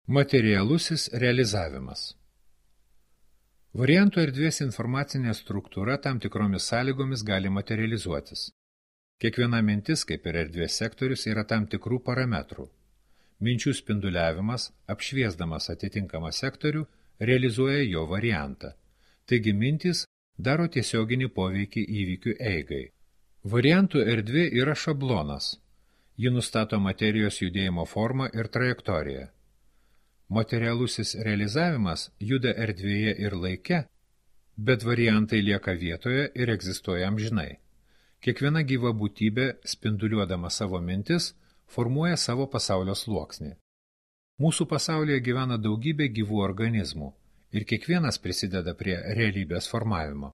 Materialusis realizavimas. Variantų erdvės informacinė struktūra tam tikromis sąlygomis gali materializuotis. Kiekviena mintis, kaip ir erdvės sektorius, yra tam tikrų parametrų. Minčių spinduliavimas, apšviesdamas atitinkamą sektorių, realizuoja jo variantą. Taigi mintys daro tiesioginį poveikį įvykių eigai. Variantų erdvė yra šablonas. Ji nustato materijos judėjimo formą ir trajektoriją. Materialusis realizavimas juda erdvėje ir laike, bet variantai lieka vietoje ir egzistuoja amžinai. Kiekviena gyva būtybė, spinduliuodama savo mintis, formuoja savo pasaulio sluoksnį. Mūsų pasaulyje gyvena daugybė gyvų organizmų ir kiekvienas prisideda prie realybės formavimo.